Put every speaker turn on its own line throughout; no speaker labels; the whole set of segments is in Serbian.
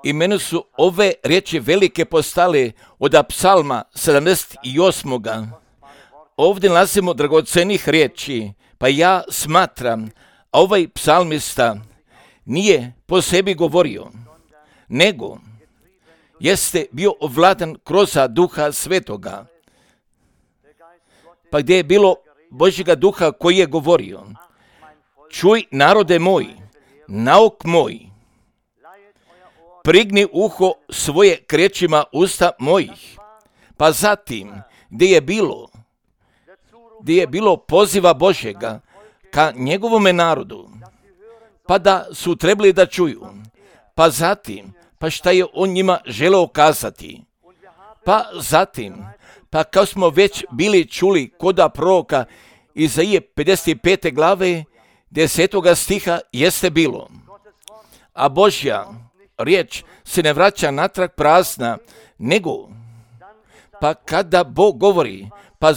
I meni su ove riječi velike postale od psalma 78. Ovdje nalazimo dragocenih riječi, pa ja smatram, a ovaj psalmista nije po sebi govorio, nego jeste bio ovladan kroz Duha Svetoga. Pa gdje je bilo Božjega Duha koji je govorio, čuj narode moj, nauk moj, prigni uho svoje k riječima usta mojih. Pa zatim, gdje je bilo poziva Božjega ka njegovome narodu, pa da su trebali da čuju, pa zatim, pa šta je on njima želeo kazati, pa zatim, pa kao smo već bili čuli koda proroka Izaije 55. glave 10. stiha jeste bilo, a Božja riječ se ne vraća natrag prazna, nego pa kada Bog govori, pa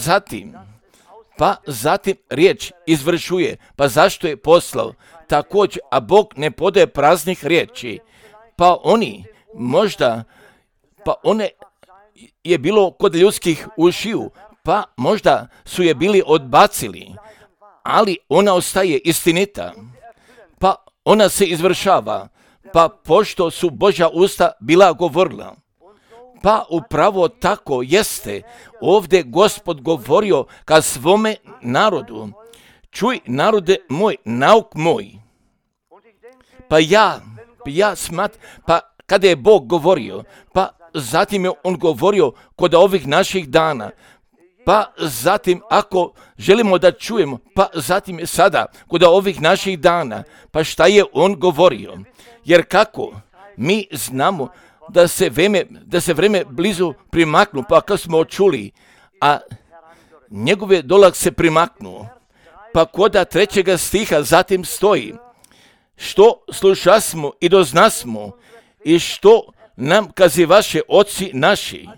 zatim riječ izvršuje, pa zašto je poslao, također, a Bog ne podaje praznih riječi, pa one je bilo kod ljudskih ušiju, pa možda su je bili odbacili, ali ona ostaje istinita, pa ona se izvršava, pa pošto su Božja usta bila govorila. Pa upravo tako jeste ovdje Gospod govorio ka svome narodu, čuj narode moj, nauk moj. Pa kada je Bog govorio, pa zatim je on govorio kod ovih naših dana, pa zatim ako želimo da čujemo, pa zatim je sada kod ovih naših dana, pa šta je on govorio? Jer kako mi znamo da se vreme blizu primaknu, pa kad smo čuli, a njegove dolazak se primaknuo, pa koda 3. stiha zatim stoji, što slušasmo i doznasmo i što nam kazivaše oci naši.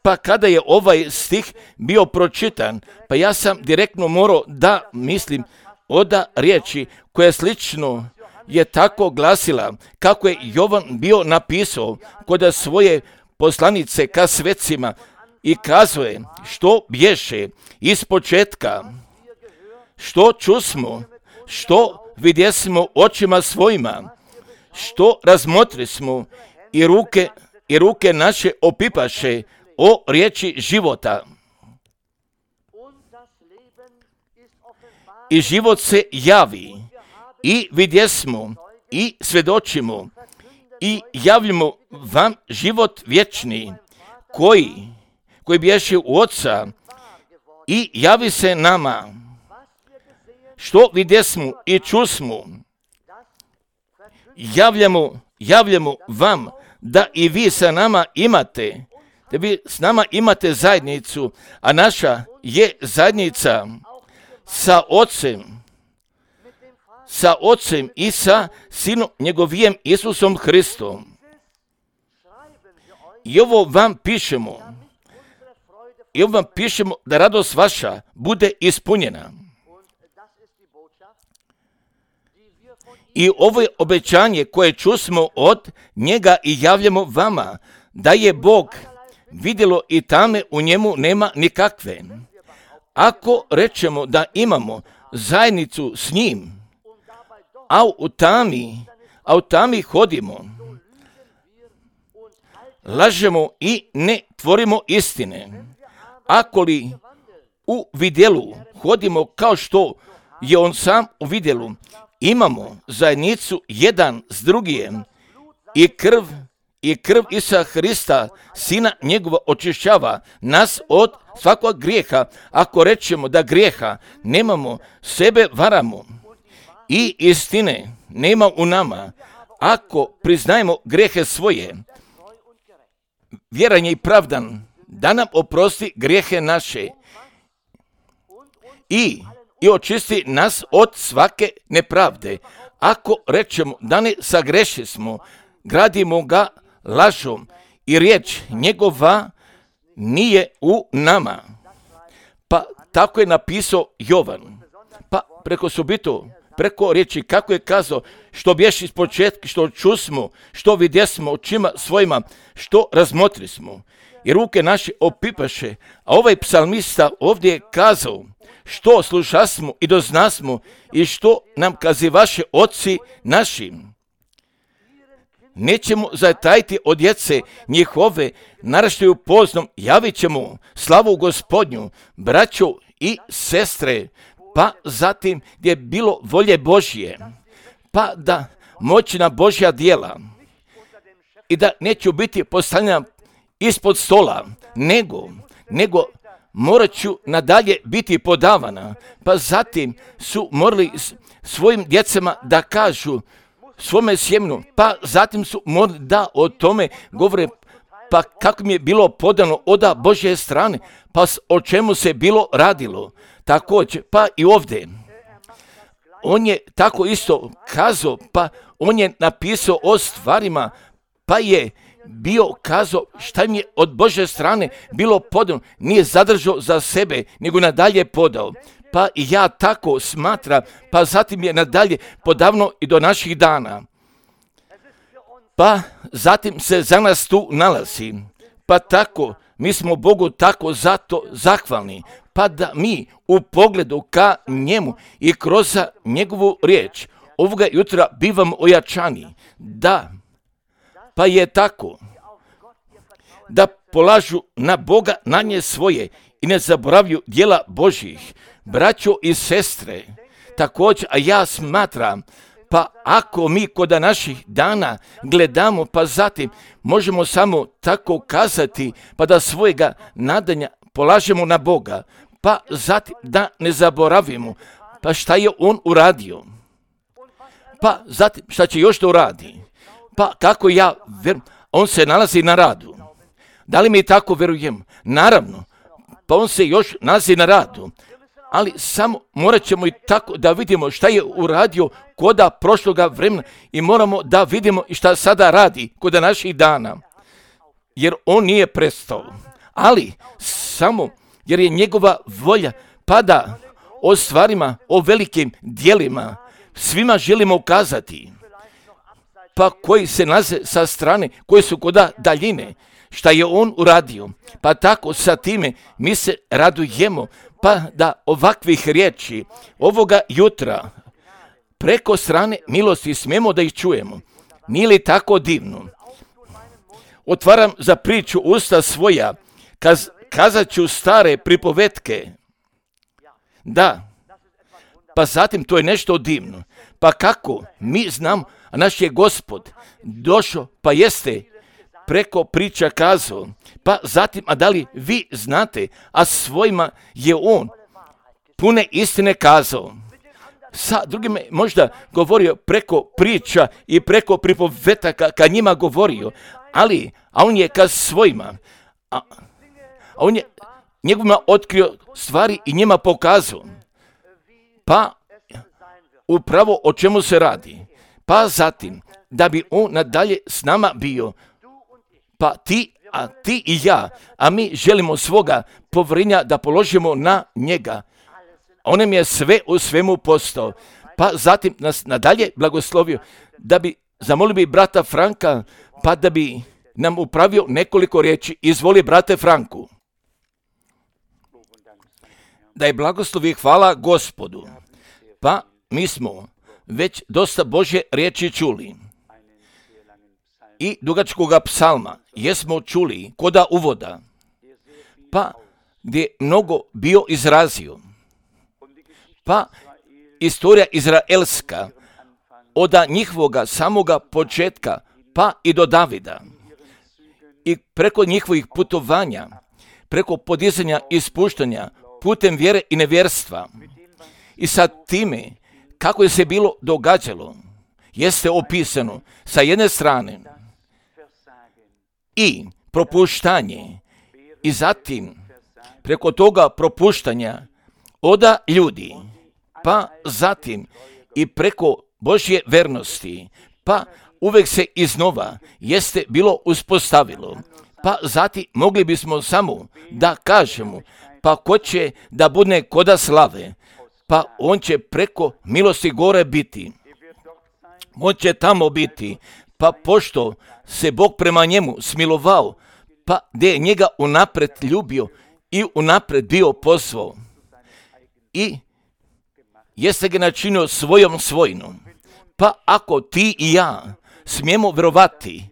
Pa kada je ovaj stih bio pročitan, pa ja sam direktno morao da mislim oda riječi koja slično je tako glasila kako je Jovan bio napisao kod svoje poslanice ka svecima i kazuje što bješe iz početka, što čusmo, što vidjesmo očima svojima, što razmotrismo i ruke naše opipaše o riječi života. I život se javi i vidjesmo i svjedočimo i javljamo vam život vječni koji bješe u Oca i javi se nama. Što vidjesmo i čusmo, javljamo vam da i vi sa nama imate, da vi s nama imate zajednicu, a naša je zajednica sa Ocem i sa Sinom njegovijem Isusom Hristom. I ovo vam pišemo da radost vaša bude ispunjena. I ovo je obećanje koje čusmo od njega i javljamo vama, da je Bog vidjelo i tame u njemu nema nikakve. Ako rečemo da imamo zajednicu s njim, a u tami hodimo, lažemo i ne tvorimo istine. Ako li u vidjelu hodimo kao što je on sam u vidjelu, imamo zajednicu jedan s drugim i krv Isusa Hrista, Sina njegova, očišćava nas od svakog grijeha. Ako rečemo da grijeha nemamo, sebe varamo i istine nema u nama. Ako priznajemo grijehe svoje, vjeran je i pravdan da nam oprosti grijehe naše i očisti nas od svake nepravde. Ako rečemo da ne sagreši smo, gradimo ga lažom i riječ njegova nije u nama. Pa tako je napisao Jovan. Pa preko subito preko riječi, kako je kazao, što bješi iz početka, što čusmo, što vidjesmo očima svojima, što razmotrismo. I ruke naše opipaše, a ovaj psalmista ovdje je kazao, što slušasmo i doznasmo i što nam kazivaše oci naši. Nećemo zatajiti od djece njihove, naraštaju poznom, javit ćemo slavu Gospodnju, braćo i sestre, pa zatim gdje je bilo volje Božje, pa da moćna Božja djela i da neću biti postavljena ispod stola, nego morat ću nadalje biti podavana, pa zatim su morali svojim djecama da kažu svome sjemenu, pa zatim su morali da o tome govore, pa kako mi je bilo podano od Božje strane, pa o čemu se bilo radilo. Također, pa i ovdje. On je tako isto kazao, pa on je napisao o stvarima, pa je bio kazao šta mi je od Božje strane bilo podano, nije zadržao za sebe, nego nadalje podao. Pa i ja tako smatram, pa zatim je nadalje podavno i do naših dana. Pa zatim se za nas tu nalazi. Pa tako, mi smo Bogu tako zato zahvalni, pa da mi u pogledu ka njemu i kroz njegovu riječ ovoga jutra bivamo ojačani. Da, pa je tako, da polažu na Boga na nje svoje i ne zaboravlju djela Božjih. Braćo i sestre, također, a ja smatram, pa ako mi kod naših dana gledamo, pa zatim možemo samo tako kazati, pa da svojega nadanja polažemo na Boga, pa zatim da ne zaboravimo, pa šta je on uradio, pa zatim šta će još da uradi, pa kako ja verujem, on se nalazi na radu. Da li mi tako verujem? Naravno, pa on se još nalazi na radu, ali samo morat ćemo i tako da vidimo šta je uradio koda prošloga vremena i moramo da vidimo i šta sada radi koda naših dana, jer on nije prestao, ali samo jer je njegova volja, pa da o stvarima, o velikim djelima svima želimo ukazati, pa koji se nalaze sa strane, koji su koda daljine, šta je on uradio, pa tako sa time mi se radujemo, pa da ovakvih riječi ovoga jutra preko strane milosti smijemo da ih čujemo. Nije li tako divno? Otvaram za priču usta svoja, kazat ću stare pripovetke. Da, pa zatim to je nešto divno. Pa kako mi znamo, a naš je Gospod došao, pa jeste preko priča kazao, pa zatim, a da li vi znate, a svojima je on pune istine kazao. Sa drugima možda govorio preko priča i preko pripovetaka ka njima govorio, ali, a on je ka svojima, a on je njegovima otkrio stvari i njima pokazao. Pa upravo o čemu se radi. Pa zatim, da bi on nadalje s nama bio, pa ti i ja, a mi želimo svoga povjerenja da položimo na njega. On nam je sve u svemu postao. Pa zatim nas nadalje blagoslovio, da bi zamolio bi brata Franka, pa da bi nam upravio nekoliko riječi. Izvoli, brate Franku. Da je blagoslov i hvala Gospodu. Pa mi smo već dosta Božje riječi čuli. I dugačkoga psalma jesmo čuli koda uvoda, pa gdje mnogo bio izrazio. Pa istorija izraelska od njihovoga samoga početka pa i do Davida i preko njihovih putovanja, preko podizanja i spuštanja putem vjere i nevjerstva i sa time kako je se bilo događalo jeste opisano sa jedne strane i propuštanje i zatim preko toga propuštanja oda ljudi, pa zatim i preko Božje vernosti, pa uvek se iznova jeste bilo uspostavilo, pa zatim mogli bismo samo da kažemo, pa ko će da bude koda slave, pa on će preko milosti gore biti. On će tamo biti, pa pošto se Bog prema njemu smilovao, pa gdje je njega unapred ljubio i unapred bio pozvao. I jeste ga načinio svojom svojinom. Pa ako ti i ja smijemo vjerovati,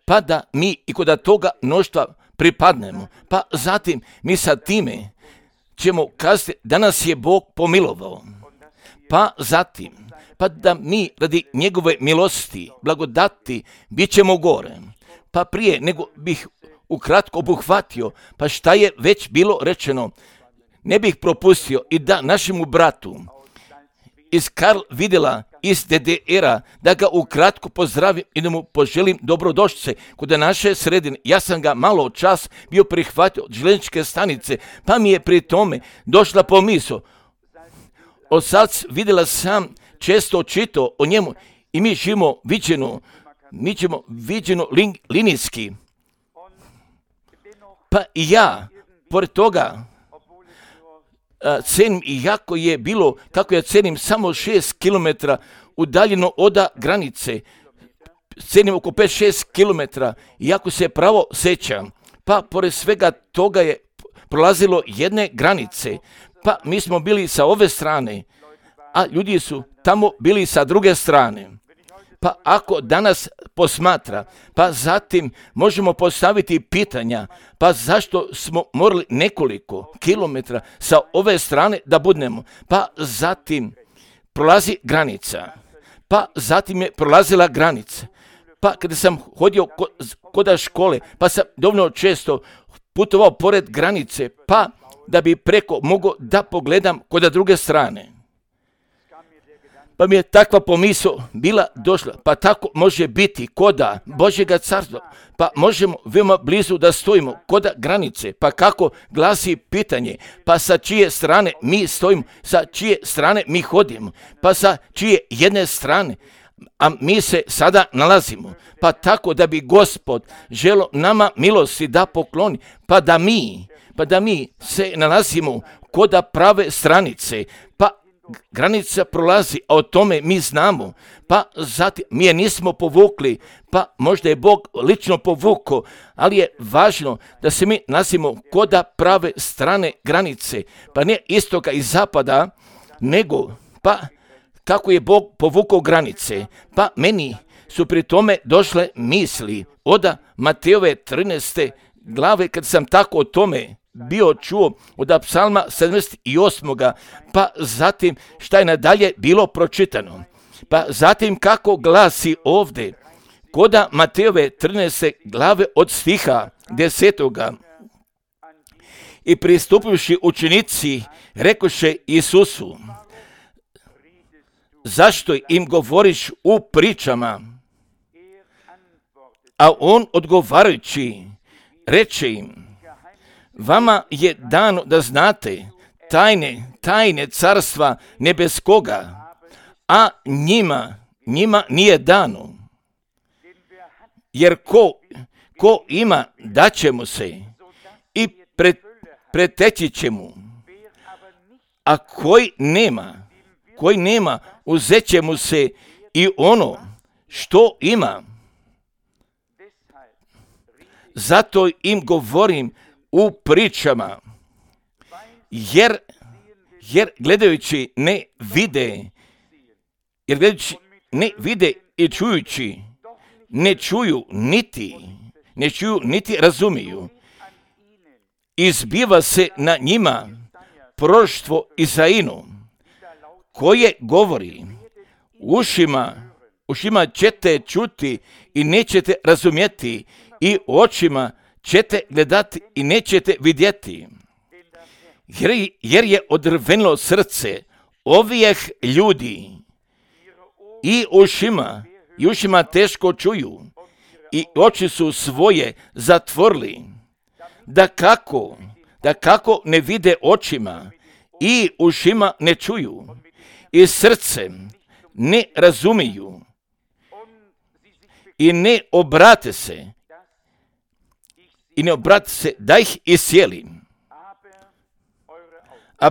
pa da mi i kod toga mnoštva pripadnemo, pa zatim mi sa time ćemo kazati da nas je Bog pomilovao. Pa zatim, pa da mi radi njegove milosti, blagodati, bit ćemo gore. Pa prije nego bih ukratko obuhvatio, pa šta je već bilo rečeno, ne bih propustio i da našemu bratu iz Karl Videla iz DDR-a, da ga ukratko pozdravim i da mu poželim dobrodošlice kod naše sredine. Ja sam ga malo čas bio prihvatio od željezničke stanice, pa mi je pri tome došla pomisao. Osac Videla sam često čitao o njemu i mi živimo viđeno linijski. Pa i ja, pored toga, cenim i jako je bilo, kako ja cenim, samo 6 km udaljeno od granice, cenim oko 5-6 km, iako se pravo sećam, pa pored svega toga je prolazilo jedne granice, pa mi smo bili sa ove strane, a ljudi su tamo bili sa druge strane. Pa ako danas posmatra, pa zatim možemo postaviti pitanja, pa zašto smo morali nekoliko kilometra sa ove strane da budemo, pa zatim prolazi granica, pa zatim je prolazila granica, pa kada sam hodio kod škole, pa sam dovoljno često putovao pored granice, pa da bi preko mogao da pogledam kod druge strane. Pa mi je takva pomisao bila došla, pa tako može biti koda Božjega carstva, pa možemo veoma blizu da stojimo koda granice, pa kako glasi pitanje, pa sa čije strane mi stojimo, sa čije strane mi hodimo, pa sa čije jedne strane, a mi se sada nalazimo, pa tako da bi Gospod želo nama milosti da pokloni, pa da mi se nalazimo koda prave stranice, pa granica prolazi, a o tome mi znamo, pa zatim mi je nismo povukli, pa možda je Bog lično povukao, ali je važno da se mi nalazimo koda prave strane granice, pa ne istoka i zapada, nego pa kako je Bog povukao granice, pa meni su pri tome došle misli od Matejove 13. glave, kad sam tako o tome bio čuo od psalma 78. pa zatim šta je nadalje bilo pročitano. Pa zatim kako glasi ovdje, koda Matejove 13. glave od stiha 10. I pristupivši učenici, rekoše Isusu, zašto im govoriš u pričama? A on odgovarajući, reče im, vama je dano da znate tajne carstva nebeskoga, a njima nije dano. Jer ko ima, daće mu se i preteći će mu, a koji nema, uzet će mu se i ono što ima. Zato im govorim u pričama, jer gledajući ne vide i čujući ne čuju niti razumiju. Izbiva se na njima proroštvo Izainu, koje govori, ušima ćete čuti i nećete razumjeti, i očima ćete gledati i nećete vidjeti. Jer je odrvenilo srce ovih ljudi i ušima teško čuju i oči su svoje zatvorili, da kako ne vide očima i ušima ne čuju i srcem ne razumiju i ne obrate se da ih iscijelim. A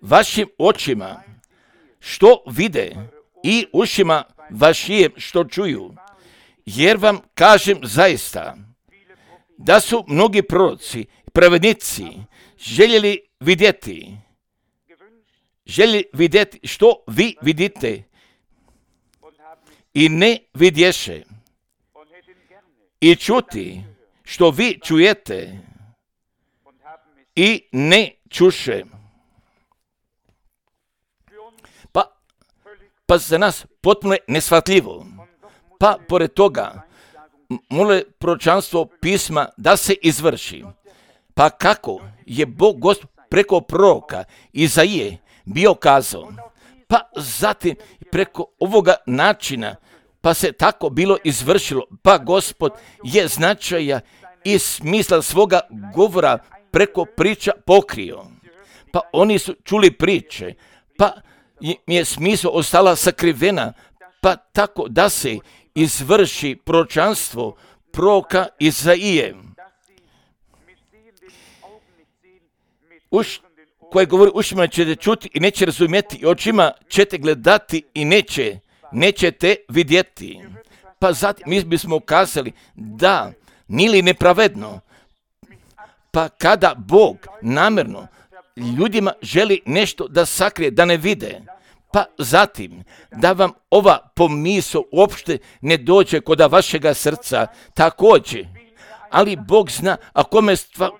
vašim očima što vide i ušima vašim što čuju. Jer vam kažem zaista, da su mnogi proroci, pravednici željeli vidjeti što vi vidite i ne vidješe, i čuti što vi čujete i ne čuše. Pa za nas potpuno je neshvatljivo. Pa pored toga mole proročanstvo pisma da se izvrši. Pa kako je Bog Gospod preko proroka Izaije bio kazao, pa zatim preko ovoga načina, pa se tako bilo izvršilo, pa Gospod je značaja i smisla svoga govora preko priča pokrio. Pa oni su čuli priče, pa im je smisao ostala sakrivena, pa tako da se izvrši proročanstvo proroka Izaije, koje govori ušima ćete čuti i neće razumjeti, i očima ćete gledati i nećete vidjeti. Pa zatim mi bismo kazali da nije li nepravedno, pa kada Bog namjerno ljudima želi nešto da sakrije, da ne vide, pa zatim da vam ova pomisao uopšte ne dođe kod vašega srca također. Ali Bog zna, a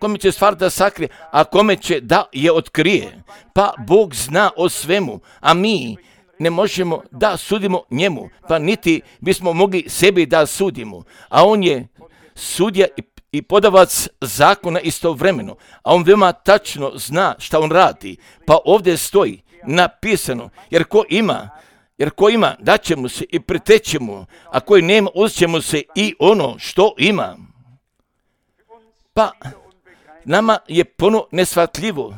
kome će stvar da sakrije, a kome će da je otkrije. Pa Bog zna o svemu, a mi ne možemo da sudimo njemu, pa niti bismo mogli sebi da sudimo. A on je sudija i podavac zakona istovremeno, a on veoma tačno zna šta on radi. Pa ovdje stoji napisano, jer ko ima daće mu se i preteće mu, a koji nema uzet će mu se i ono što ima. Pa nama je puno neshvatljivo,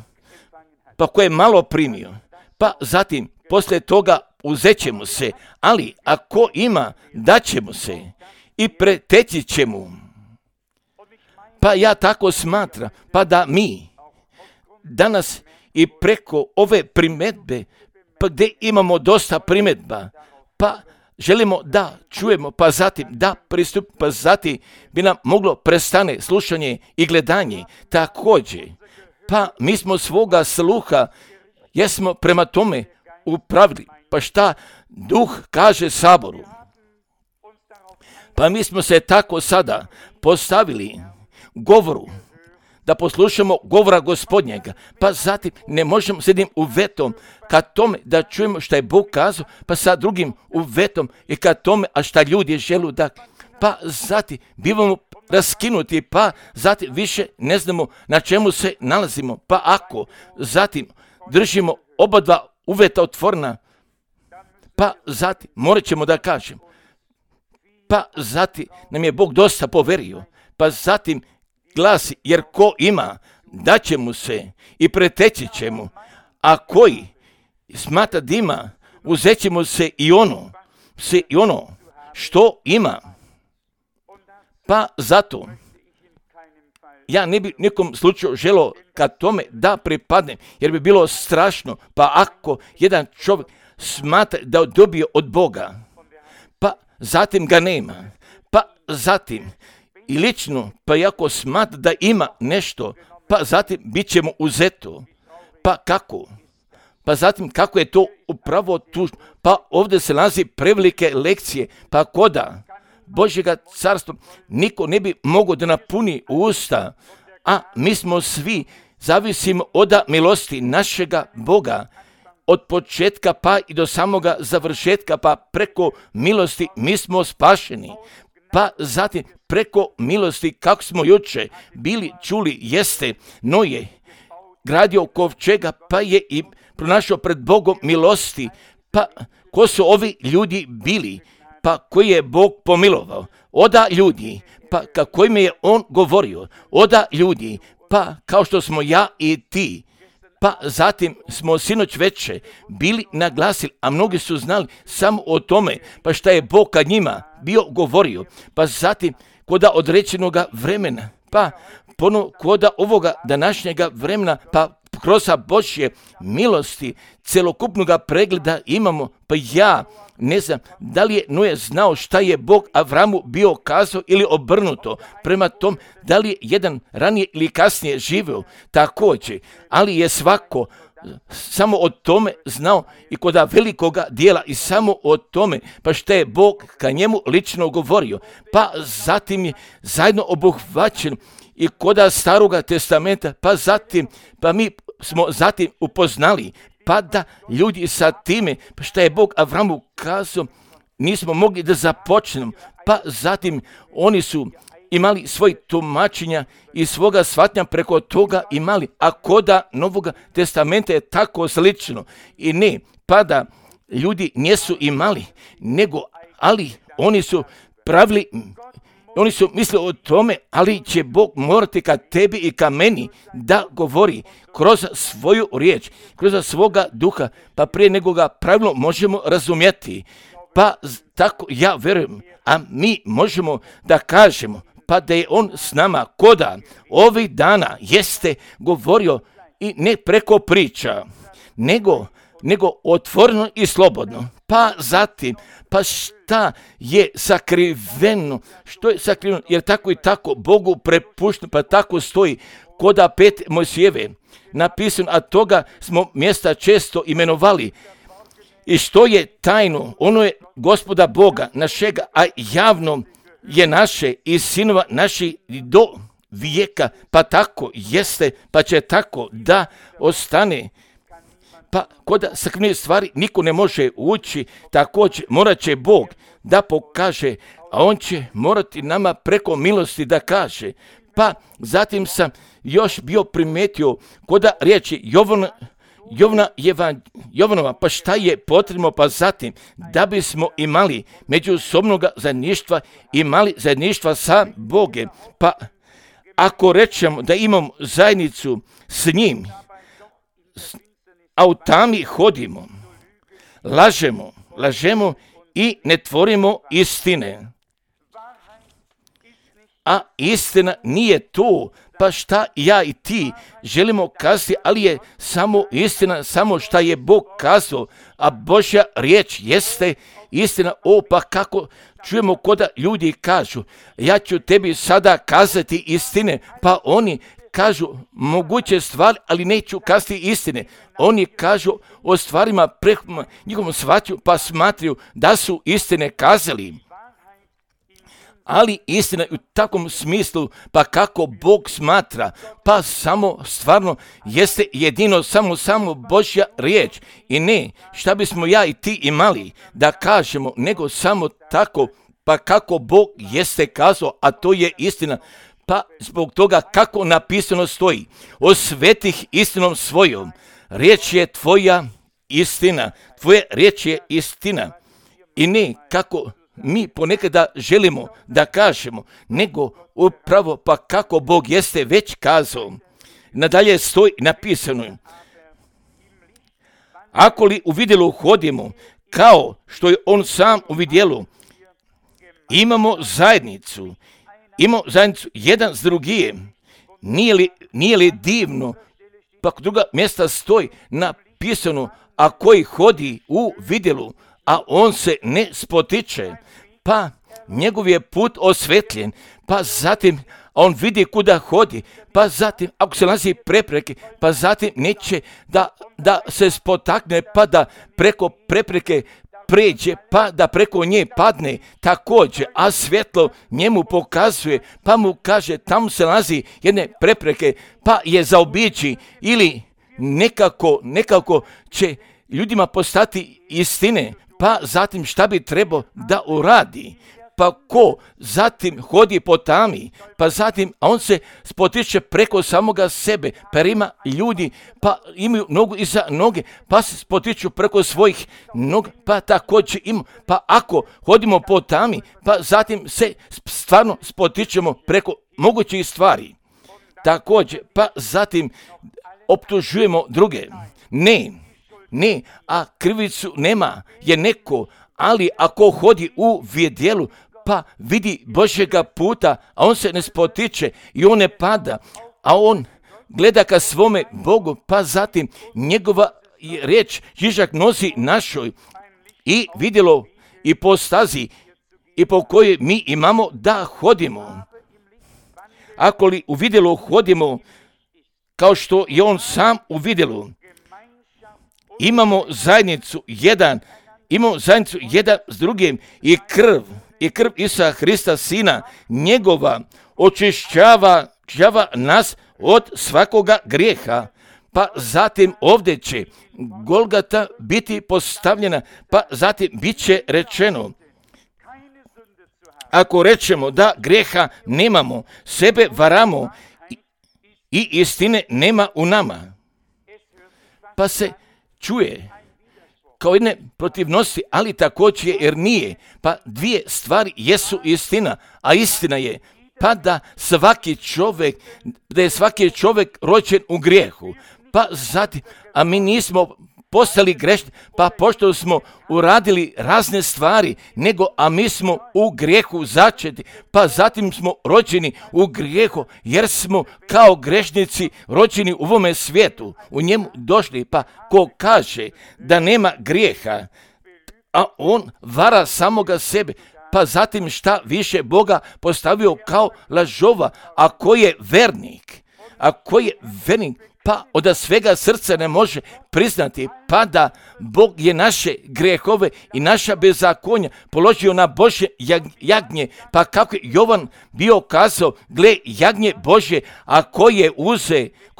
pa ko je malo primio, pa zatim poslije toga uzet će mu se, ali ako ima daće mu se i preteći će mu. Pa ja tako smatram, pa da mi danas i preko ove primjedbe, pa gdje imamo dosta primjedba, pa želimo da čujemo, pa zatim da pristup, pa zatim bi nam moglo prestane slušanje i gledanje također. Pa mi smo svoga sluha, jesmo prema tome upravili, pa šta Duh kaže Saboru. Pa mi smo se tako sada postavili govoru, da poslušamo govora Gospodnjega, pa zatim ne možemo s jednim uvetom ka tome da čujemo šta je Bog kazao, pa sa drugim uvetom i ka tome, a šta ljudi žele da, pa zatim bivamo raskinuti, pa zatim više ne znamo na čemu se nalazimo, pa ako zatim držimo oba dva uveta otvorena, pa zatim morat ćemo da kažem, pa zatim nam je Bog dosta poverio, pa zatim glasi, jer ko ima, daće mu se i preteći će mu, a koji smatra da ima, uzet će mu se i ono što ima. Pa zato ja ne bi nikom slučaju želio ka tome da pripadnem, jer bi bilo strašno, pa ako jedan čovjek smatra da dobije od Boga, pa zatim ga nema, pa zatim i lično, pa i ako smatra da ima nešto, pa zatim bit će mu uzeto. Pa kako? Pa zatim kako je to upravo tužno? Pa ovdje se nalazi prevelike lekcije, pa koda Božjega carstva niko ne bi mogao da napuni usta, a mi smo svi zavisimo od milosti našega Boga, od početka pa i do samoga završetka, pa preko milosti mi smo spašeni. Pa zatim preko milosti, kako smo juče bili čuli, jeste Noje gradio kovčega, pa je i pronašao pred Bogom milosti. Pa ko su ovi ljudi bili, pa koji je Bog pomilovao? Oda ljudi, pa kako im je on govorio, oda ljudi, pa kao što smo ja i ti. Pa zatim smo sinoć veče bili naglasili, a mnogi su znali samo o tome, pa šta je Bog kad njima bio govorio. Pa zatim kod određenoga vremena, pa ponovo koda ovoga današnjega vremena, pa kroz Božje milosti celokupnog pregleda imamo, pa ja ne znam da li je Noe znao šta je Bog Avramu bio kazao ili obrnuto. Prema tom, da li je jedan ranije ili kasnije živio također, ali je svako samo o tome znao i kod velikoga dijela i samo o tome, pa šta je Bog ka njemu lično govorio. Pa zatim je zajedno obuhvaćen i kod Staroga testamenta, pa mi smo zatim upoznali, pa da ljudi sa time, pa šta je Bog Avramu kazao, nismo mogli da započnemo, pa zatim oni su imali svoj tumačenja i svoga shvatnja preko toga imali, a koda Novoga testamenta je tako slično. I ne, pa da ljudi nisu imali, nego, ali oni su pravili, oni su mislili o tome, ali će Bog morati ka tebi i ka meni da govori kroz svoju riječ, kroz svoga duha, pa prije nego ga pravilno možemo razumjeti. Pa tako ja verujem, a mi možemo da kažemo, pa da je on s nama koda ovih dana jeste govorio i ne preko priča, nego otvoreno i slobodno. Pa zatim, pa šta je sakriveno, što je sakriveno, jer tako i tako Bogu prepušteno, pa tako stoji koda 5 Mojsijeve napisano, a toga smo mjesta često imenovali. I što je tajno, ono je Gospoda Boga našega, a javno je naše i sinova naši do vijeka, pa tako jeste, pa će tako da ostane. Pa kod sakrivene stvari niko ne može ući, također morat će Bog da pokaže, a on će morati nama preko milosti da kaže. Pa zatim sam još bio primetio kod riječi Jovanova, pa šta je potrebno, pa zatim da bismo imali međusobnog zajedništva, imali zajedništva sa Bogom. Pa ako rečemo da imamo zajednicu s njim, a u tami hodimo, lažemo i ne tvorimo istine. A istina nije to, pa šta ja i ti želimo kazati, ali je samo istina, samo šta je Bog kazao, a Božja riječ jeste istina. Pa kako čujemo koda ljudi kažu, ja ću tebi sada kazati istine, pa oni kažu moguće stvari, ali neću kazati istine. Oni kažu o stvarima prema njihovom shvatju, pa smatraju da su istine kazali. Ali istina u takvom smislu, pa kako Bog smatra, pa samo stvarno jeste jedino samo Božja riječ. I ne šta bismo ja i ti imali da kažemo, nego samo tako, pa kako Bog jeste kazao, a to je istina. Pa zbog toga kako napisano stoji, osvetih istinom svojom, riječ je tvoja istina, tvoja riječ je istina. I ne kako mi ponekada želimo da kažemo, nego upravo pa kako Bog jeste već kazao. Nadalje stoji napisano, ako li u vidjelu hodimo, kao što je on sam u vidjelu, imamo zajednicu jedan s drugim. Nije li divno, pa druga mjesta stoji napisano, a koji hodi u vidjelu, a on se ne spotiče, pa njegov je put osvetljen, pa zatim on vidi kuda hodi, pa zatim ako se nalazi prepreke, pa zatim neće da se spotakne, pa da preko prepreke pređe, pa da preko nje padne također, a svjetlo njemu pokazuje, pa mu kaže tamo se nalazi jedne prepreke, pa je zaobići ili nekako će ljudima postati istine. Pa zatim šta bi trebao da uradi? Pa ko zatim hodi po tami, pa zatim a on se spotiče preko samoga sebe, pa ima ljudi, pa imaju nogu iza noge, pa se spotiču preko svojih noga, pa također ima, pa ako hodimo po tami, pa zatim se stvarno spotičemo preko mogućih stvari. Također, pa zatim optužujemo druge. Ne, a krivicu nema je neko, ali ako hodi u vidjelu, pa vidi Božjega puta, a on se ne spotiče i on ne pada, a on gleda ka svome Bogu, pa zatim njegova riječ Žižak nosi našoj i vidjelo i po stazi i po kojoj mi imamo da hodimo. Ako li u vidjelu hodimo kao što je on sam u vidjelu, imamo zajednicu jedan s drugim i krv Isusa Hrista Sina njegova očišćava nas od svakoga grijeha. Pa zatim ovdje će Golgata biti postavljena, pa zatim bit će rečeno, ako rečemo da grijeha nemamo, sebe varamo i istine nema u nama. Pa se čuje kao jedne protivnosti, ali također jer nije. Pa dvije stvari jesu istina, a istina je pa da je svaki čovjek rođen u grijehu. Pa zatim, a mi nismo postali grešni, pa pošto smo uradili razne stvari, a mi smo u grijehu začeti, pa zatim smo rođeni u grijehu, jer smo kao grešnici rođeni u ovome svijetu, u njemu došli, pa ko kaže da nema grijeha, a on vara samoga sebe, pa zatim šta više Boga postavio kao lažova, a ko je vernik, pa od svega srca ne može priznati, pa da Bog je naše grehove i naša bezakonja položio na Božje jagnje, pa kako je Jovan bio kazao, gle jagnje Božje, a koje je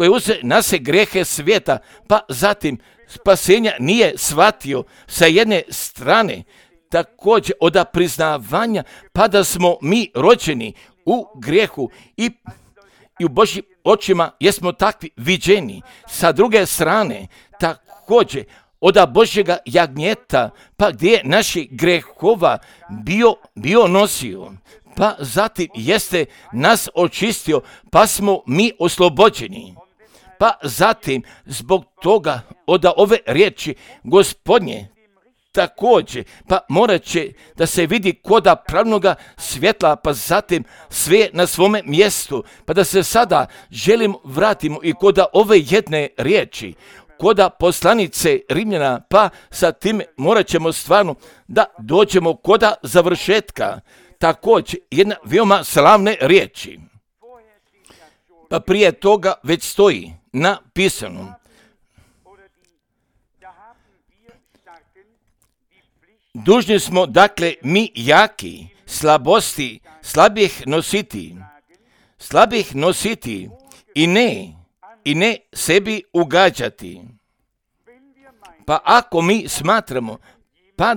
uze na se grehe svijeta, pa zatim spasenja nije shvatio sa jedne strane, također od priznavanja, pa da smo mi rođeni u grijehu i u Božjim očima jesmo takvi viđeni. Sa druge strane, također od Božjega jagnjeta, pa gdje je naših grehova bio nosio, pa zatim jeste nas očistio, pa smo mi oslobođeni. Pa zatim zbog toga od ove riječi Gospodnje, također, pa morat će da se vidi koda pravnoga svjetla, pa zatim sve na svome mjestu, pa da se sada vratimo i koda ove jedne riječi, koda poslanice Rimljana, pa sa tim morat ćemo stvarno da dođemo koda završetka, također jedna veoma slavne riječi. Pa prije toga već stoji napisano, dužni smo, dakle, mi jaki, slabih nositi i ne sebi ugađati. Pa ako mi smatramo pa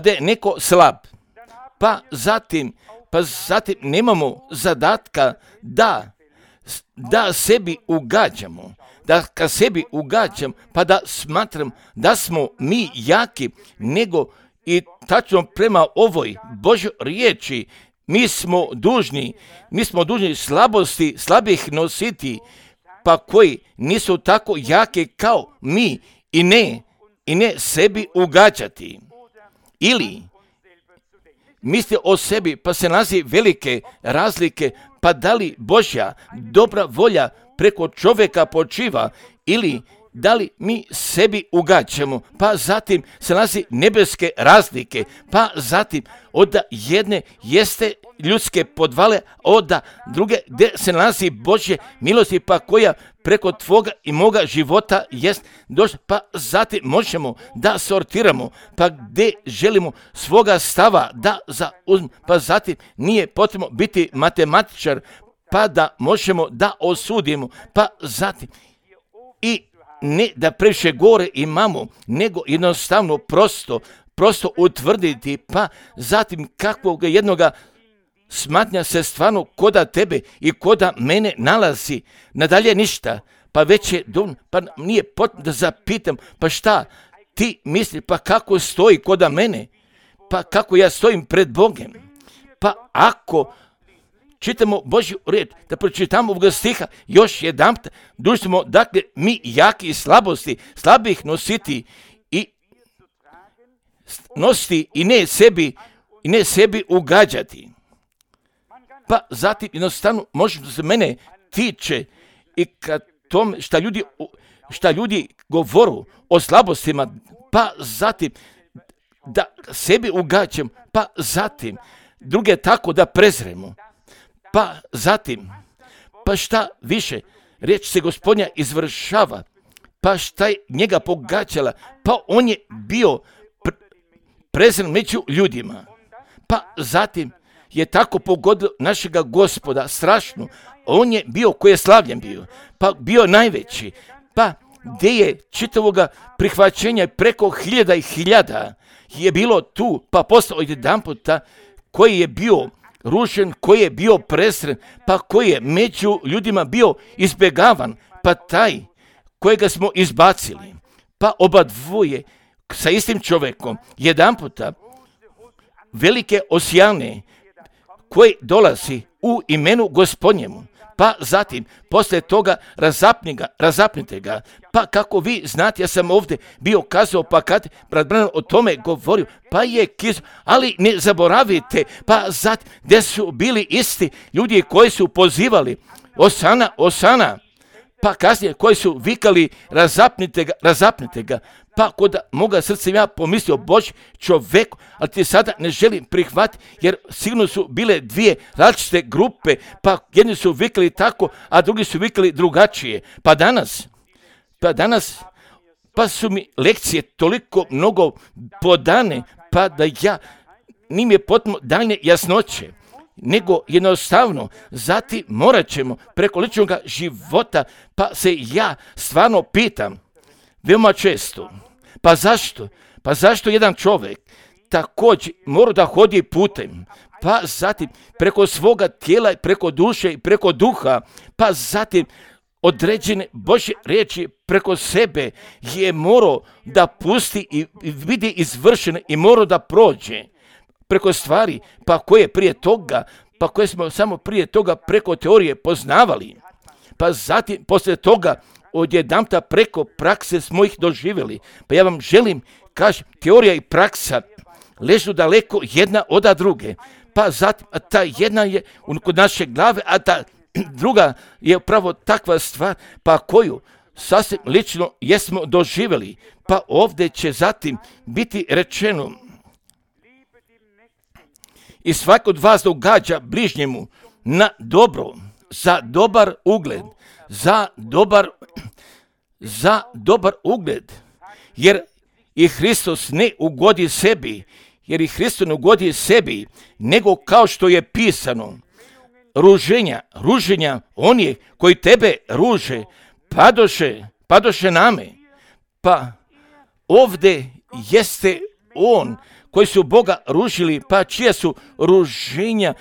da je neko slab, pa zatim nemamo zadatka da sebi ugađamo, da ka sebi ugađam, pa da smatram da smo mi jaki, nego i tačno prema ovoj Božoj riječi mi smo dužni slabosti slabih nositi, pa koji nisu tako jake kao mi i ne sebi ugađati. Ili misli o sebi, pa se nalazi velike razlike, pa da li Božja dobra volja preko čovjeka počiva ili da li mi sebi ugađamo, pa zatim se nalazi nebeske razlike, pa zatim od jedne jeste ljudske podvale, od druge gdje se nalazi Božje milosti, pa koja preko tvoga i moga života jest došla, pa zatim možemo da sortiramo, pa gdje želimo svoga stava da zauzmemo, pa zatim nije potrebno biti matematičar, pa da možemo da osudimo, pa zatim i ne da previše gore imamo, nego jednostavno prosto utvrditi, pa zatim kakvog jednoga smatnja se stvarno koda tebe i koda mene nalazi, nadalje ništa, pa već je pa nije potrebno da zapitam, pa šta ti misli, pa kako stoji koda mene, pa kako ja stojim pred Bogom, pa ako čitamo Božju riječ, da pročitamo ovog stiha još jedanput, dužni smo, dakle, mi jaki i slabih nositi i ne sebi i ne sebi ugađati. Pa zatim jednostavno može se mene tiče i kad tom šta ljudi govoru o slabostima, pa zatim da sebi ugađam, pa zatim druge tako da prezremo, pa zatim, pa šta više, riječ se Gospodnja izvršava, pa šta je njega pogađala, pa on je bio prezren među ljudima, pa zatim je tako pogodilo našega Gospoda strašno, on je bio koji je slavljen bio, pa bio najveći, pa gdje je čitavoga prihvaćenja preko hiljada i hiljada je bilo tu, pa postao jedanputa koji je bio rušen, koji je bio presren, pa koji je među ljudima bio izbjegavan, pa taj kojega smo izbacili, pa oba dvoje sa istim čovjekom, jedanputa velike osjane koji dolazi u imenu Gospodnjemu, pa zatim poslije toga razapnite ga, pa kako vi znate, ja sam ovdje bio kazao, pa kad brat Branham o tome govorio, pa je kizao, ali ne zaboravite, pa zatim gdje su bili isti ljudi koji su pozivali Osana, Osana, pa kasnije koji su vikali razapnite ga, pa kod moga srca ja pomislio, Bože čoveku, ali ti sada ne želim prihvatiti, jer sigurno su bile dvije različite grupe, pa jedni su vikali tako, a drugi su vikali drugačije. Pa danas, pa su mi lekcije toliko mnogo podane, pa da ja nim je potpuno daljne jasnoće, nego jednostavno, zatim morat ćemo preko ličnog života, pa se ja stvarno pitam, veoma često, pa zašto? Pa zašto jedan čovjek također mora da hodi putem, pa zatim preko svoga tijela, preko duše i preko duha, pa zatim određene Božje riječi preko sebe je morao da pusti i vidi izvršene i morao da prođe preko stvari, pa koje prije toga, pa koje smo samo prije toga preko teorije poznavali, pa zatim poslije toga odjedanputa preko prakse smo ih doživjeli. Pa ja vam želim, kažem, teorija i praksa ležu daleko jedna od druge, pa zatim ta jedna je kod naše glave, a ta druga je upravo takva stvar, pa koju sasvim lično jesmo doživjeli, pa ovdje će zatim biti rečeno: i svako od vas događa bližnjemu na dobro, za dobar ugled, za dobar ugled, jer i Hristos ne ugodi sebi, nego kao što je pisano, ruženja onih koji tebe ruže, padoše name. Pa ovdje jeste on koji su Boga ružili, pa čija su ruženja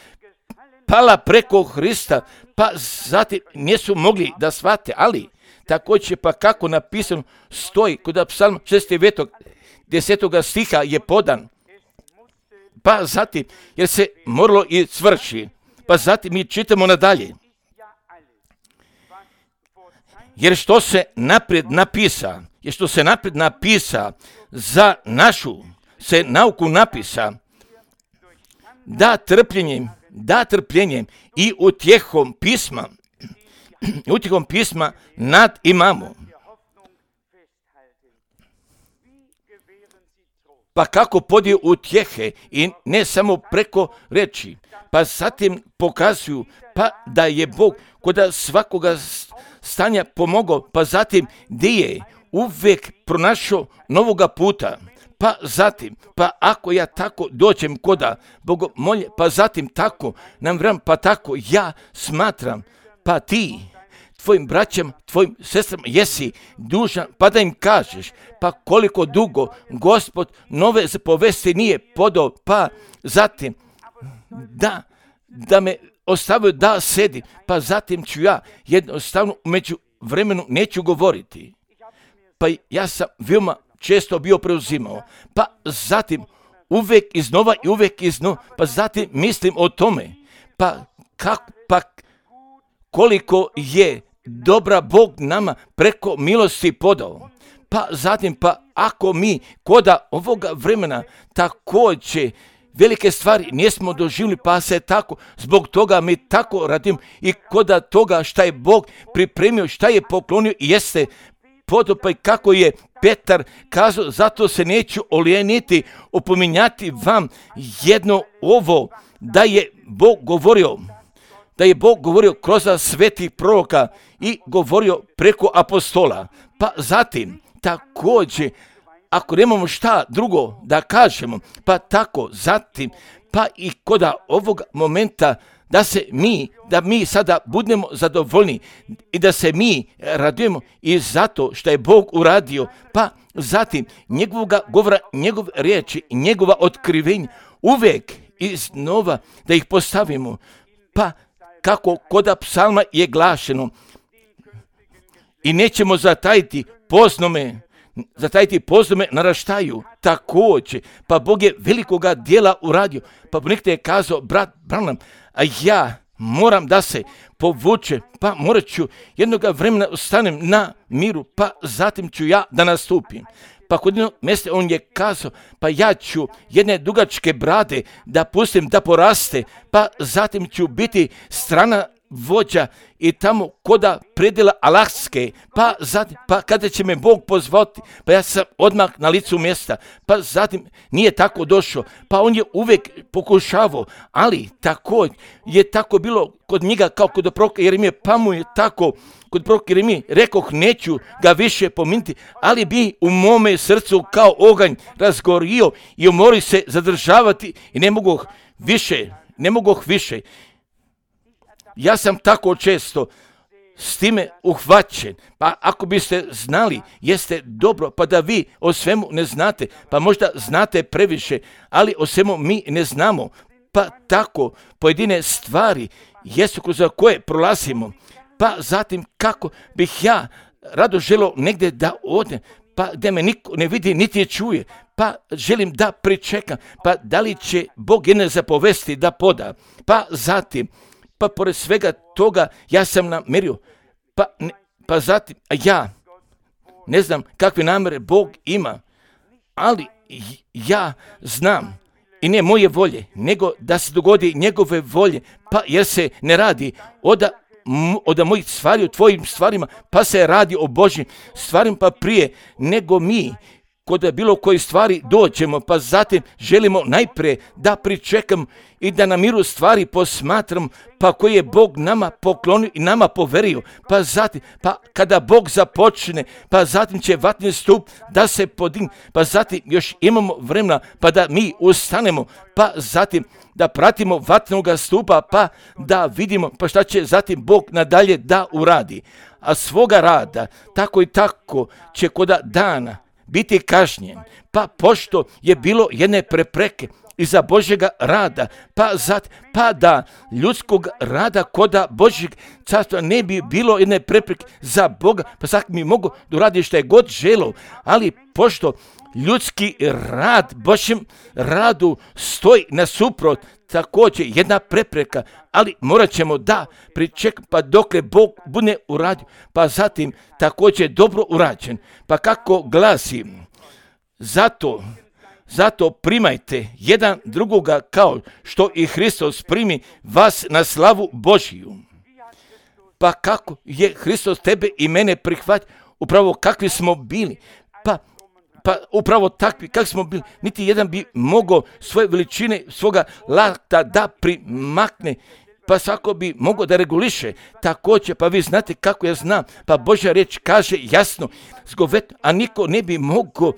pala preko Hrista, pa zatim nisu mogli da shvate, ali također pa kako napisano stoji kod Psalm 69. 10. stiha je podan, pa zatim jer se moralo i svrši, pa zatim mi čitamo nadalje. Jer što se naprijed napisa za našu se nauku napisa, da trpljenjem i utjehom pisma nad imamo. Pa kako podije utjehe i ne samo preko reči, pa zatim pokazuju pa da je Bog kod svakoga stanja pomogao, pa zatim gdje je uvijek pronašao novoga puta. Pa zatim, pa ako ja tako dođem koda Bogomolje, pa zatim tako nam vram, pa tako ja smatram, pa ti tvojim braćam, tvojim sestrama jesi dužan, pa da im kažeš, pa koliko dugo Gospod nove zapovesti nije podao, pa zatim da me ostavio da sedi, pa zatim ću ja jednostavno među vremenu neću govoriti. Pa ja sam veoma često bio preuzimao, pa zatim uvijek iznova, pa zatim mislim o tome, pa koliko je dobra Bog nama preko milosti podao. Pa zatim, pa ako mi koda ovoga vremena također velike stvari nismo doživjeli, pa se tako, zbog toga mi tako radimo i kod toga šta je Bog pripremio, šta je poklonio i jeste podopaj kako je Petar kazao, zato se neću olijeniti opominjati vam jedno ovo, da je Bog govorio kroz svetih proroka i govorio preko apostola. Pa zatim, također, ako nemamo šta drugo da kažemo, pa tako zatim, pa i kod ovog momenta da mi sada budemo zadovoljni i da se mi radujemo i zato što je Bog uradio, pa zatim njegovoga govora, njegove riječi, njegova otkrivenja, uvijek iznova da ih postavimo, pa kako kod psalma je glašeno i nećemo zatajiti poznome naraštaju također, pa Bog je velikoga dijela uradio, pa nekada je kazao brat Branham, a ja moram da se povuče, pa morat ću jednoga vremena ostanem na miru, pa zatim ću ja da nastupim. Pa kod jednog mjesta on je kazao, pa ja ću jedne dugačke brade da pustim da poraste, pa zatim ću biti strana vođa i tamo koda predjela Alaske, pa zatim, pa kada će me Bog pozvati, pa ja sam odmah na licu mjesta, pa zatim nije tako došao, pa on je uvijek pokušavao, ali tako je tako bilo kod njega kao kod proroka Jeremije, pa mu je tako kod proroka Jeremije, rekoh neću ga više pominti, ali bi u mome srcu kao oganj razgorio i umori se zadržavati i ne mogu više. Ja sam tako često s time uhvaćen, pa ako biste znali, jeste dobro, pa da vi o svemu ne znate, pa možda znate previše, ali o svemu mi ne znamo, pa tako pojedine stvari jesu kroz koje prolazimo, pa zatim kako bih ja rado želio negdje da odem, pa da me niko ne vidi niti je čuje, pa želim da pričekam, pa da li će Bog jedne zapovesti da poda, pa zatim, pa pored svega toga ja sam namerio, pa zatim ja ne znam kakve namere Bog ima, ali ja znam i ne moje volje, nego da se dogodi njegove volje, pa jer se ne radi od mojih stvari, o tvojim stvarima, pa se radi o Božjim stvarima, pa prije nego mi kod bilo koje stvari dođemo, pa zatim želimo najprije da pričekam i da na miru stvari posmatram, pa koje je Bog nama poklonio i nama poverio, pa zatim, pa kada Bog započne, pa zatim će vatni stup da se podigne, pa zatim još imamo vremena, pa da mi ustanemo, pa zatim da pratimo vatnoga stupa, pa da vidimo, pa šta će zatim Bog nadalje da uradi. A svoga rada, tako i tako će koda dana biti kažnjen, pa pošto je bilo jedne prepreke iza Božjega rada, pa da ljudskog rada koda Božjeg carstva ne bi bilo jedne prepreke za Boga, pa svak mi mogu da uradi što je god želeo, ali pošto ljudski rad Božjem radu stoji nasuprot, također jedna prepreka, ali morat ćemo da pričekamo pa dokle Bog bude uradio, pa zatim također dobro urađen. Pa kako glasi, zato primajte jedan drugoga kao što i Hristos primi vas na slavu Božiju. Pa kako je Hristos tebe i mene prihvatio, upravo kakvi smo bili, pa upravo takvi kakvi smo bili, niti jedan bi mogao svoje veličine, svoga lakta da primakne, pa svako bi mogao da reguliše također, pa vi znate kako ja znam, pa Božja riječ kaže jasno, a niko ne bi mogao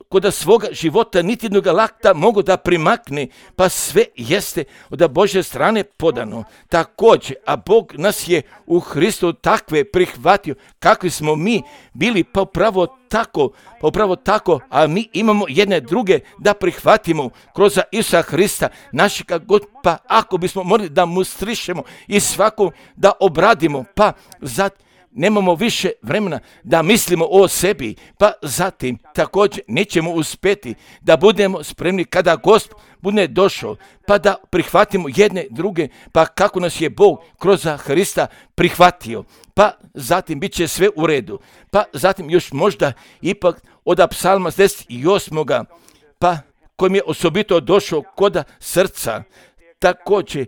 kod svoga života niti jednog lakta mogao da primakne, pa sve jeste od Božje strane podano. Također, a Bog nas je u Hristu takve prihvatio, kakvi smo mi bili, pa upravo tako, a mi imamo jedne druge da prihvatimo kroz Isusa Hrista, našega God, pa ako bismo morali da mu strišemo i svako da obradimo, pa nemamo više vremena da mislimo o sebi, pa zatim također nećemo uspjeti da budemo spremni kada Gospod bude došao, pa da prihvatimo jedne druge, pa kako nas je Bog kroz Hrista prihvatio, pa zatim bit će sve u redu, pa zatim još možda ipak od psalma 10. 8. pa koji mi je osobito došao koda srca. Također,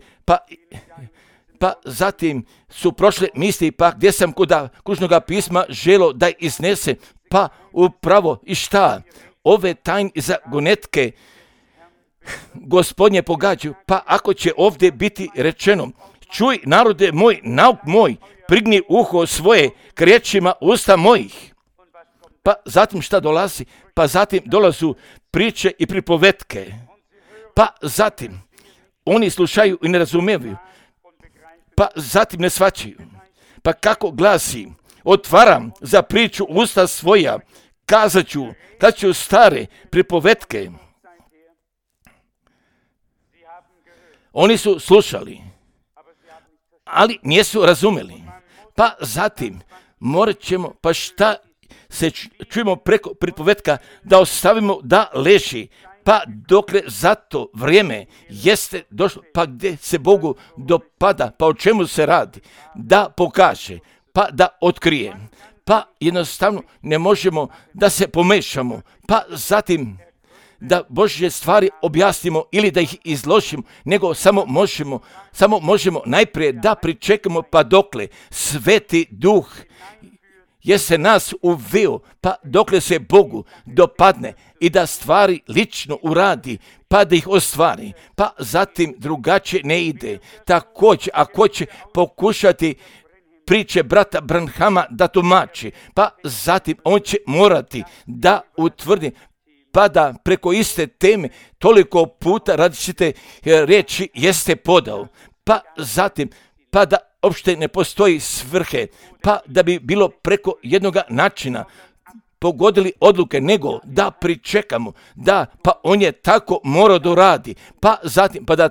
pa zatim su prošle misli, pa gdje sam koda kružnoga pisma želo da iznese, pa upravo i šta? Ove tajne zagonetke Gospodnje pogađaju, pa ako će ovdje biti rečeno, čuj narode moj, nauk moj, prigni uho svoje k riječima usta mojih. Pa zatim šta dolazi? Pa zatim dolazu priče i pripovetke. Pa zatim oni slušaju i ne razumijevaju. Pa zatim ne shvaćaju. Pa kako glasi? Otvaram za priču usta svoja, kazat ću stare pripovetke. Oni su slušali, ali nisu razumjeli. Pa zatim morat ćemo, pa šta se čujemo preko pripovetka, da ostavimo da leži, pa dokle za to vrijeme jeste došlo, pa gdje se Bogu dopada, pa o čemu se radi, da pokaže, pa da otkrije, pa jednostavno ne možemo da se pomešamo, pa zatim da Božje stvari objasnimo ili da ih izložimo, nego samo možemo najprije da pričekamo, pa dokle Sveti Duh je se nas uveo, pa dokle se Bogu dopadne i da stvari lično uradi, pa da ih ostvari, pa zatim drugačije ne ide. Također, ako će pokušati priče brata Branhama da tumači, pa zatim on će morati da utvrdi, pa da preko iste teme toliko puta različite riječi jeste podao, pa zatim, pa da uopšte ne postoji svrhe, pa da bi bilo preko jednoga načina pogodili odluke, nego da pričekamo, da pa on je tako morao da radi, pa zatim, pa da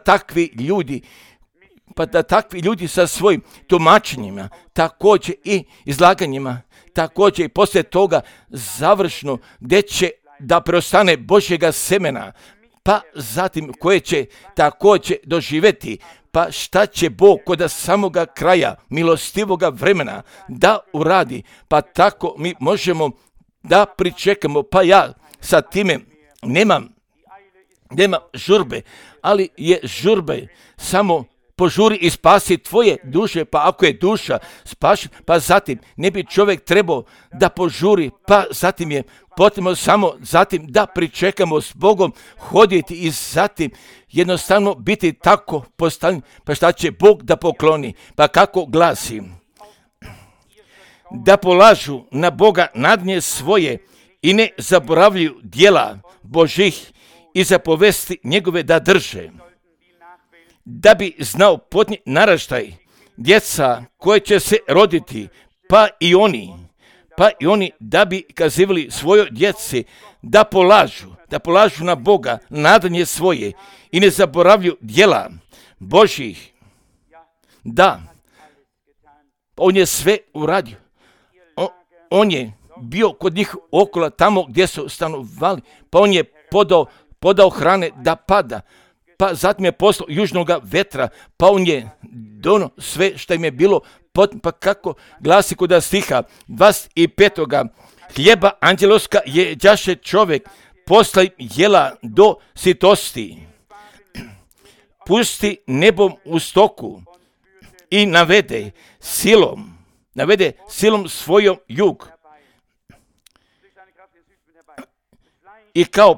takvi ljudi sa svojim tumačenjima, također i izlaganjima, također i poslije toga završno gdje će da preostane Božjega semena, pa zatim koje će također doživjeti, pa šta će Bog kod samoga kraja milostivoga vremena da uradi, pa tako mi možemo da pričekamo, pa ja sa time nemam žurbe, ali je žurbe samo požuri i spasi tvoje duše, pa ako je duša spašena, pa zatim ne bi čovjek trebao da požuri, pa zatim je potrebno samo zatim da pričekamo s Bogom, hoditi i zatim jednostavno biti tako postavljen, pa šta će Bog da pokloni, pa kako glasi? Da polažu na Boga nadnje svoje i ne zaboravljaju djela Božih i zapovesti njegove da drže. Da bi znao potnji naraštaj, djeca koje će se roditi, pa i oni da bi kazivali svojoj djeci da polažu na Boga nadanje svoje i ne zaboravljaju djela Božjih. Da, on je sve uradio. On je bio kod njih okolo tamo gdje su stanovali, pa on je podao hrane da pada, pa zatim je poslao južnoga vetra, pa on je dono sve što im je bilo, pa kako glasi kod stiha 25. Hljeba anđeloska jeđaše čovjek, posle jela do sitosti. Pusti nebom u stoku i navede silom svojom jug. I kao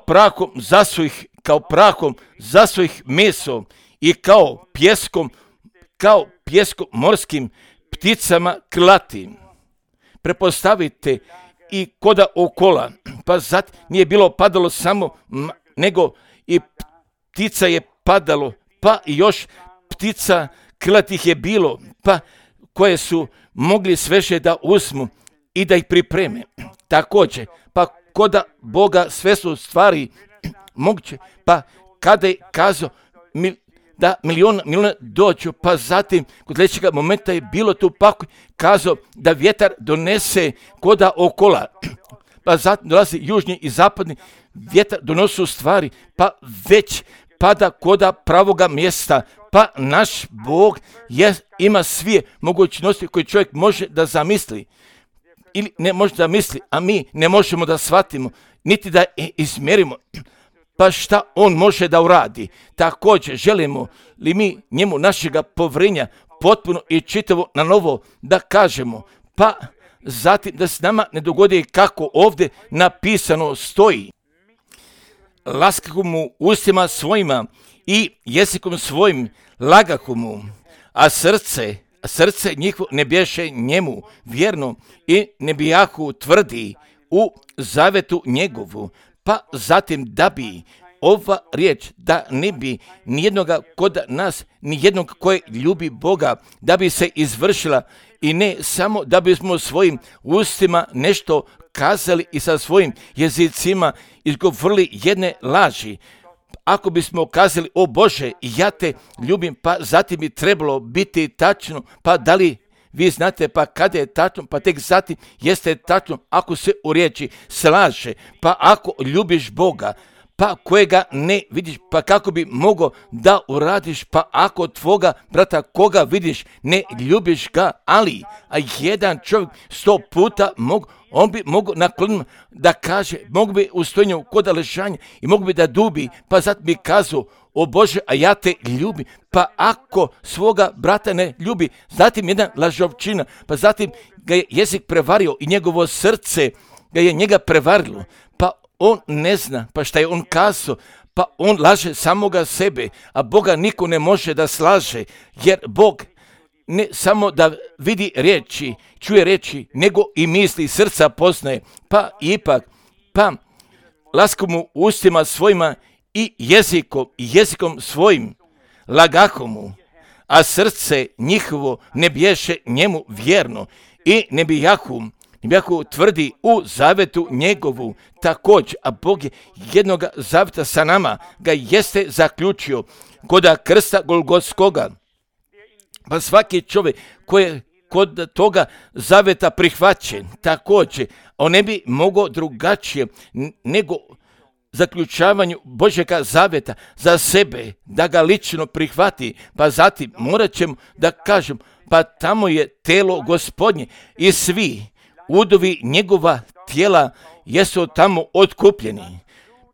prahom zasvojih meso i kao pjeskom morskim pticama krlatim. Prepostavite i koda okola, pa zatim nije bilo padalo samo, nego i ptica je padalo, pa i još ptica krlatih je bilo, pa koje su mogli sveže da uzmu i da ih pripreme. Također, pa koda Boga sve su stvari moguće, pa kada je kazao da miliona dođu, pa zatim kod sljedećega momenta je bilo tu pakoj kazao da vjetar donese koda okola, pa zatim dolazi južni i zapadni vjetar donosu stvari, pa već pada koda pravoga mjesta, pa naš Bog ima sve mogućnosti koje čovjek može da zamisli ili ne može da misli, a mi ne možemo da shvatimo, niti da izmjerimo. pa šta on može da uradi. Također želimo li mi njemu našega povjerenja potpuno i čitavo na novo da kažemo, pa zatim da se nama ne dogodi kako ovdje napisano stoji. Laskahu mu ustima svojima i jezikom svojim lagahu mu, a srce njihovo ne bješe njemu vjerno i ne bijahu tvrdi u zavetu njegovu. Pa zatim da bi ova riječ, da ne bi nijednoga kod nas, nijednog koje ljubi Boga, da bi se izvršila i ne samo da bismo svojim ustima nešto kazali i sa svojim jezicima izgovorili jedne laži. Ako bismo kazali, o Bože, ja te ljubim, pa zatim bi trebalo biti tačno, pa da li vi znate, pa kada je tačno, pa tek zatim jeste tačno ako se u riječi slaže, pa ako ljubiš Boga, pa kojega ne vidiš, pa kako bi mogao da uradiš, pa ako tvoga brata koga vidiš, ne ljubiš ga, ali a jedan čovjek 100 puta on bi mogao nakloniti da kaže, mogu bi u stojenju kod ležanja i mogu bi da dubi, pa zatim bi kazao, o Bože, a ja te ljubim, pa ako svoga brata ne ljubi, zatim jedan lažovčina, pa zatim ga je jezik prevario i njegovo srce ga je njega prevarilo, pa on ne zna, pa šta je on kazao, pa on laže samoga sebe, a Boga niko ne može da slaže, jer Bog ne samo da vidi riječi, čuje riječi, nego i misli srca poznaje, pa ipak, pa laskahu mu ustima svojima i jezikom svojim lagahu mu, a srce njihovo ne bješe njemu vjerno i ne bijahu tvrdi u zavetu njegovu. Također, a Bog je jednoga zaveta sa nama ga jeste zaključio koda krsta Golgotskoga. Pa svaki čovjek koji je kod toga zaveta prihvaćen, također, on ne bi mogao drugačije nego zaključavanju Božjega zaveta za sebe, da ga lično prihvati, pa zatim morat ćemo da kažem, pa tamo je telo Gospodnje i svi udovi njegova tijela jesu tamo otkupljeni,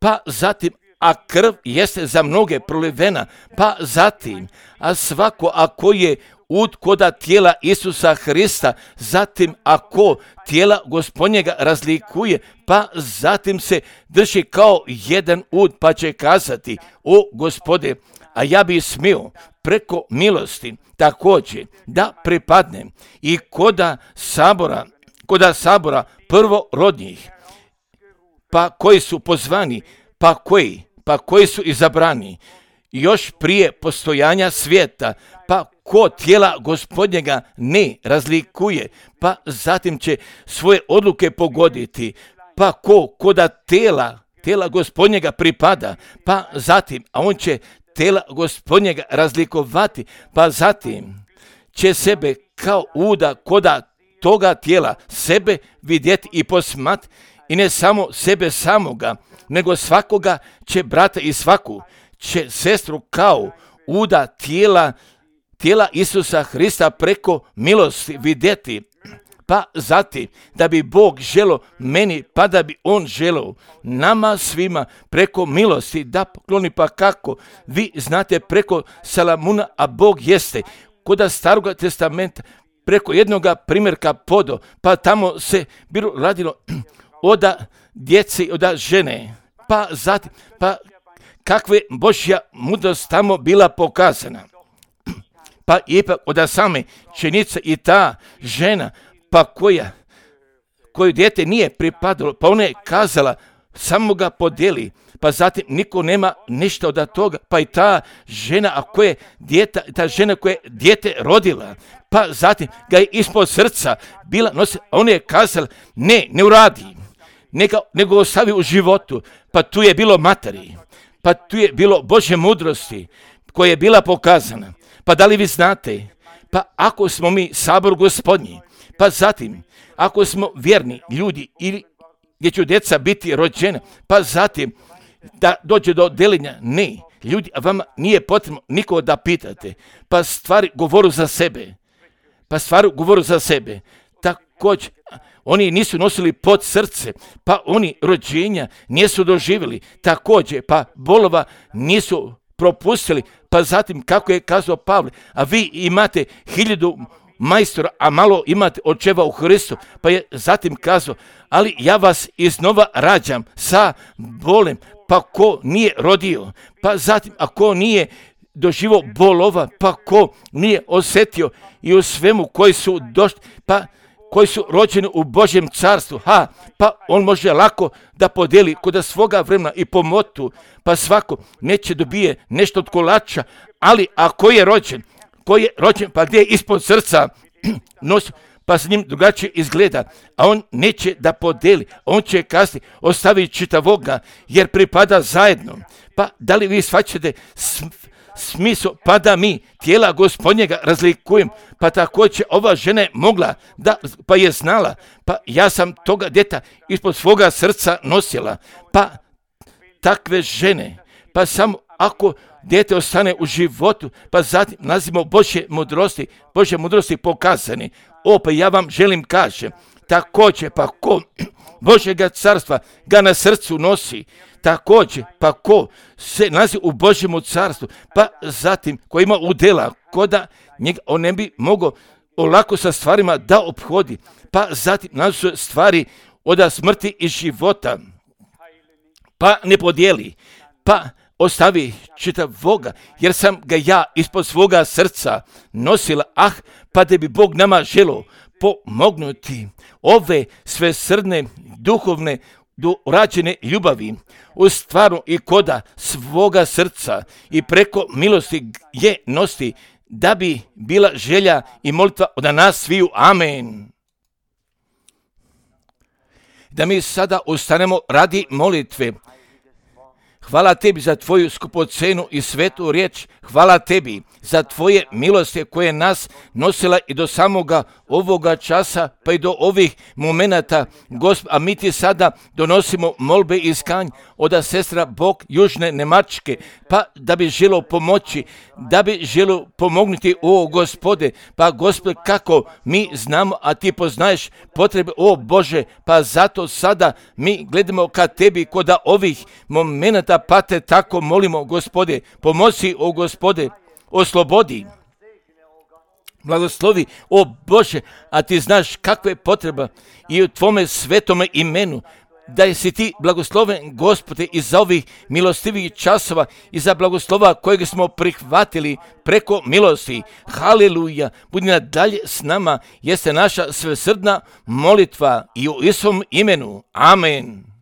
pa zatim, a krv jeste za mnoge prolivena, pa zatim, a svako ako je ud koda tijela Isusa Hrista, zatim ako tijela Gospodnjega razlikuje, pa zatim se drži kao jedan ud, pa će kazati, o Gospode, a ja bi smio preko milosti također da pripadnem i koda sabora prvorodnjih, pa koji su pozvani, pa koji su izabrani još prije postojanja svijeta, pa ko tijela Gospodnjega ne razlikuje, pa zatim će svoje odluke pogoditi, pa koda tijela Gospodnjega pripada, pa zatim, a on će tijela Gospodnjega razlikovati, pa zatim će sebe kao uda koda toga tijela sebe vidjeti i posmat, i ne samo sebe samoga, nego svakoga će brata i svaku će sestru kao uda tijela Isusa Hrista preko milosti vidjeti. Pa zatim, da bi Bog želio meni, pa da bi on želio nama svima preko milosti da pokloni, pa kako vi znate preko Salamuna, a Bog jeste koda Staroga testamenta preko jednoga primjerka podo, pa tamo se bilo radilo oda djece i oda žene, pa zatim, pa kakva Božja mudrost tamo bila pokazana. Pa ipak oda same čenice i ta žena, pa koju dijete nije pripadalo, pa ona je kazala, samo ga podijeli, pa zatim niko nema ništa od toga, pa i ta žena, ta žena koja je dijete rodila, pa zatim ga je ispod srca bila nosila, a ona je kazala, ne uradi, nego ostavi u životu, pa tu je bilo materi, pa tu je bilo Božje mudrosti koja je bila pokazana. Pa da li vi znate, pa ako smo mi sabor Gospodnji, pa zatim, ako smo vjerni ljudi ili gdje će djeca biti rođena, pa zatim da dođe do deljenja, ne, ljudi, a vama nije potrebno nikoga da pitate, pa stvari govoru za sebe, Također, oni nisu nosili pod srce, pa oni rođenja nisu doživjeli, također, pa bolova nisu propustili, pa zatim, kako je kazao Pavle, a vi imate 1000 majstora, a malo imate očeva u Hristu, pa je zatim kazao, ali ja vas iznova rađam sa bolem, pa ko nije rodio, pa zatim, a ko nije doživio bolova, pa ko nije osjetio i u svemu koji su došli, pa koji su rođeni u Božjem carstvu, pa on može lako da podijeli kod svoga vremena i po motu, pa svako neće dobije nešto od kolača, ali ako je rođen, pa gdje je ispod srca nosi, pa s njim drugačije izgleda, a on neće da podijeli, on će kasnije ostaviti čitavoga, jer pripada zajedno. Pa da li vi shvaćate smisao, pa da mi tijela Gospodnjega razlikujemo, pa također ova žena je mogla, pa je znala, pa ja sam toga djeta ispod svoga srca nosila, pa takve žene, pa samo ako dijete ostane u životu, pa zatim nazivamo Božje mudrosti pokazane. Pa ja vam želim kažem, također pa ko Božjega carstva ga na srcu nosi, također pa ko se nalazi u Božjemu carstvu, pa zatim ko ima udjela, ko da njega on ne bi mogao olako sa stvarima da ophodi, pa zatim nalazi stvari od smrti i života, pa ne podijeli, pa ostavi čitavoga, jer sam ga ja ispod svoga srca nosila, pa da bi Bog nama želio pomognuti ove svesrdne, duhovne, dorađene ljubavi u stvaru i koda svoga srca i preko milosti je nosti, da bi bila želja i molitva od nas sviju. Amen. Da mi sada ustanemo radi molitve. Hvala tebi za tvoju skupocenu i svetu riječ. Hvala tebi za tvoje milosti koje nas nosila i do samoga ovoga časa, pa i do ovih momenata, Gospod. A mi ti sada donosimo molbe i skanj od sestra Bog Južne Nemačke, pa da bi želio pomoći, da bi želio pomognuti, Gospode, pa Gospod, kako mi znamo, a ti poznaješ potrebe, Bože, pa zato sada mi gledamo ka tebi kod ovih momenata, pa te tako molimo, Gospode, pomozi, Gospode, oslobodi, blagoslovi, Bože, a ti znaš kakva je potreba i u tvome svetome imenu, da si ti blagosloven, Gospode, i za ovih milostivih časova i za blagoslova kojeg smo prihvatili preko milosti. Haleluja, budi nadalje s nama, jeste naša svesrdna molitva i u Isusovom imenu. Amen.